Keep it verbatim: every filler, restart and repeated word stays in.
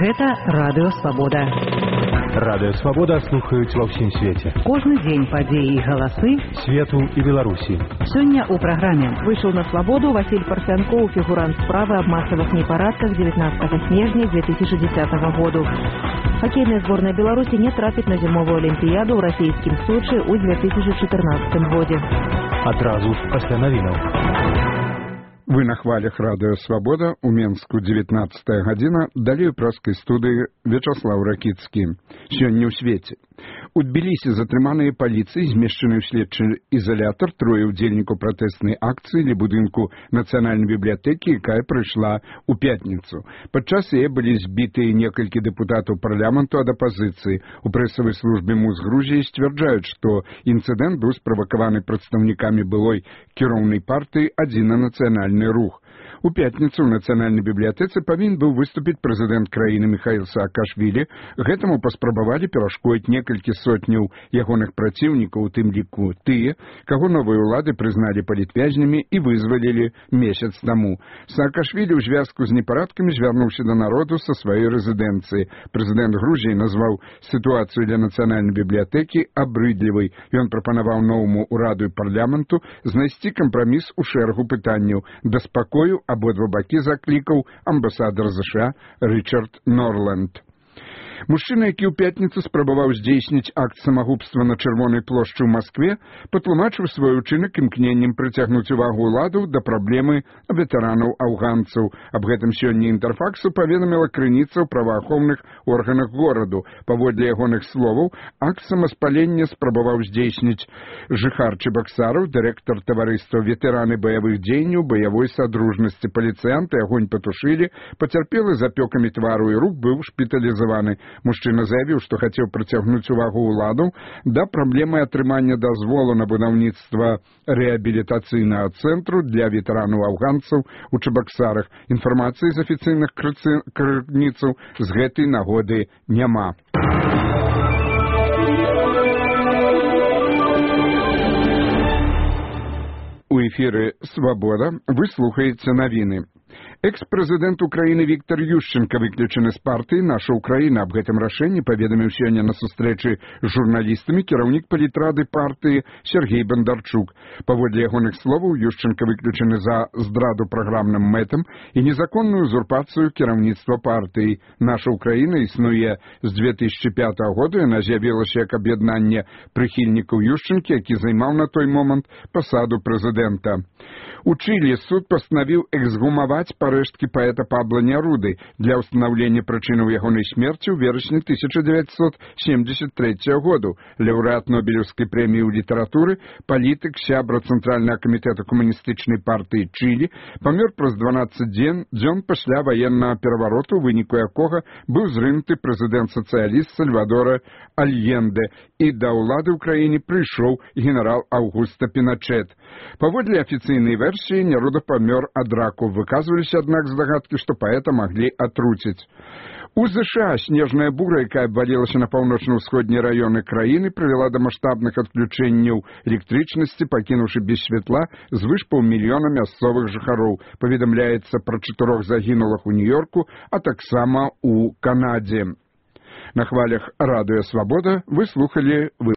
Гэта Радыё Свабода. Радыё Свабода слухаюць ва ўсім свеце. Кожны дзень падзеі і галасы свету і Беларусі. Сёння ў праграме выйшаў на свабоду Васіль Парфянкоў, фігурант справы аб масавых непарадках дзевятнадцатага снежня две тысячи десятого году. Хоккейная сборная Беларуси не трапит на зимовую олимпиаду в российском Сочи ў две тысячи четырнадцатом году. Адразу пасля навінаў. Вы на хвалях Радыё Свабода, у Менску дзевятнадцатая гадзіна, далей у праскай студыі Вячаслаў Ракіцкі. Сёння ў свеце. У Тбілісі затрыманыя паліцыяй, змешчаны ў следчы ізалятар, трое ўдзельнікаў пратэснай акцыі ля будынку Нацыянальнай бібліятэкі, якая прыйшла ў пятніцу. Падчас яе былі збітыя некалькі дэпутатаў парламенту ад апазіцыі. У прэсавай службе МУЗ Грузіі сцвярджаюць, што інцыдэнт быў справакаваны прадстаўнікамі былой кіроўнай партыі «Адзіны нацыянальны рух». У пятніцу ў Нацыянальнай бібліятэцы павінен быў выступіць прэзідэнт краіны Міхаіл Саакашвілі. Гэтаму паспрабавалі перашкодзіць некалькі сотняў ягоных праціўнікаў, у тым ліку тыя, каго новыя ўлады прызналі палітвязнямі і вызвалілі месяц таму. Саакашвілі ў звязку з непарадкамі звярнуўся да народу са сваёй рэзідэнцыі. Прэзідэнт Грузіі назваў сітуацыю для Нацыянальнай бібліятэкі абрыдлівай. Ён прапанаваў новаму ўраду і парламенту знайсці кампраміс у шэрагу пытанняў. Да спакою абодва бакі заклікаў амбасадар ЗША Рычард Норланд. Мужчына, які ў пятніцу спрабаваў здзейсніць акт самагубства на Чырвонай плошчы ў Маскве, патлумачыў свой учынак імкненнем прыцягнуць увагу ўладаў да праблемы ветэранаў-афганцаў. Аб гэтым сёння Інтэрфаксу паведаміла крыніца ў праваахоўных органах гораду. Паводле ягоных словаў, акт самаспалення спрабаваў здзейсніць жыхар Чебаксараў, дырэктар таварыства ветэраны баявых дзеянняў баявой садружнасці. Паліцыянты агонь патушылі, пацярпелы з апёкамі твару і рук быў шпіталізаваны. Мужчына заявіў, што хацеў прыцягнуць увагу ўладаў да праблемы атрымання дазволу на будаўніцтва рэабілітацыйнага цэнтру для ветэранаў-афганцаў у Чебаксарах. Інфармацыі з афіцыйных крыніцаў з гэтай нагоды няма. У эфіры «Свабода» вы слухаеце навіны. Экс-прэзідэнт Украіны Віктор Ющенка выключаны з партыі «Наша Украіна». Аб гэтым рашэнні паведаміў сёння на сустрэчы з журналістамі кіраўнік палітрады партыі Сергей Бондарчук. Паводле ягоных словаў, Ющенка выключаны за здраду праграмным мэтам і незаконную узурпацыю кіраўніцтва партыі. «Наша Украіна» існуе з две тысячи пятого года, яна з'явілася як аб'яднанне прыхільнікаў Ющенкі, які займаў на той момант пасаду прэзідэнта. У Чылі суд пастанавіў эксгумаваць парэшткі паэта Пабла Няруды для ўстанаўлення прычынаў ягонай смерці ў верасні тысяча дзевяцьсот семьдесят третьего году. Лаўрэат Нобелеўскай прэміі ў літаратуры, палітык, сябра Цэнтральнага камітэта камуністычнай партыі Чылі, памёр праз дванаццаць дзён пасля ваеннага перавароту, у выніку якога быў зрынуты прэзідэнт-сацыяліст Сальвадора Альенде, і да ўлады ў краіне прыйшоў генерал Аўгуста Піначэт. Паводле афіцыйнай версіі, Няруда памёр ад раку. Выказваліся, аднак, здагадкі, што паэта маглі атруціць. У ЗША снежная бура, якая абвалілася на паўночна-ўсходнія раёны краіны, прывяла да маштабных адключэнняў электрычнасці, пакінуўшы без святла звыш паўмільёна мясцовых жыхароў. Паведамляецца пра чатырох загінулых у Нью-Йорку, а таксама у Канадзе. На хвалях Радыё Свабода вы слухалі вы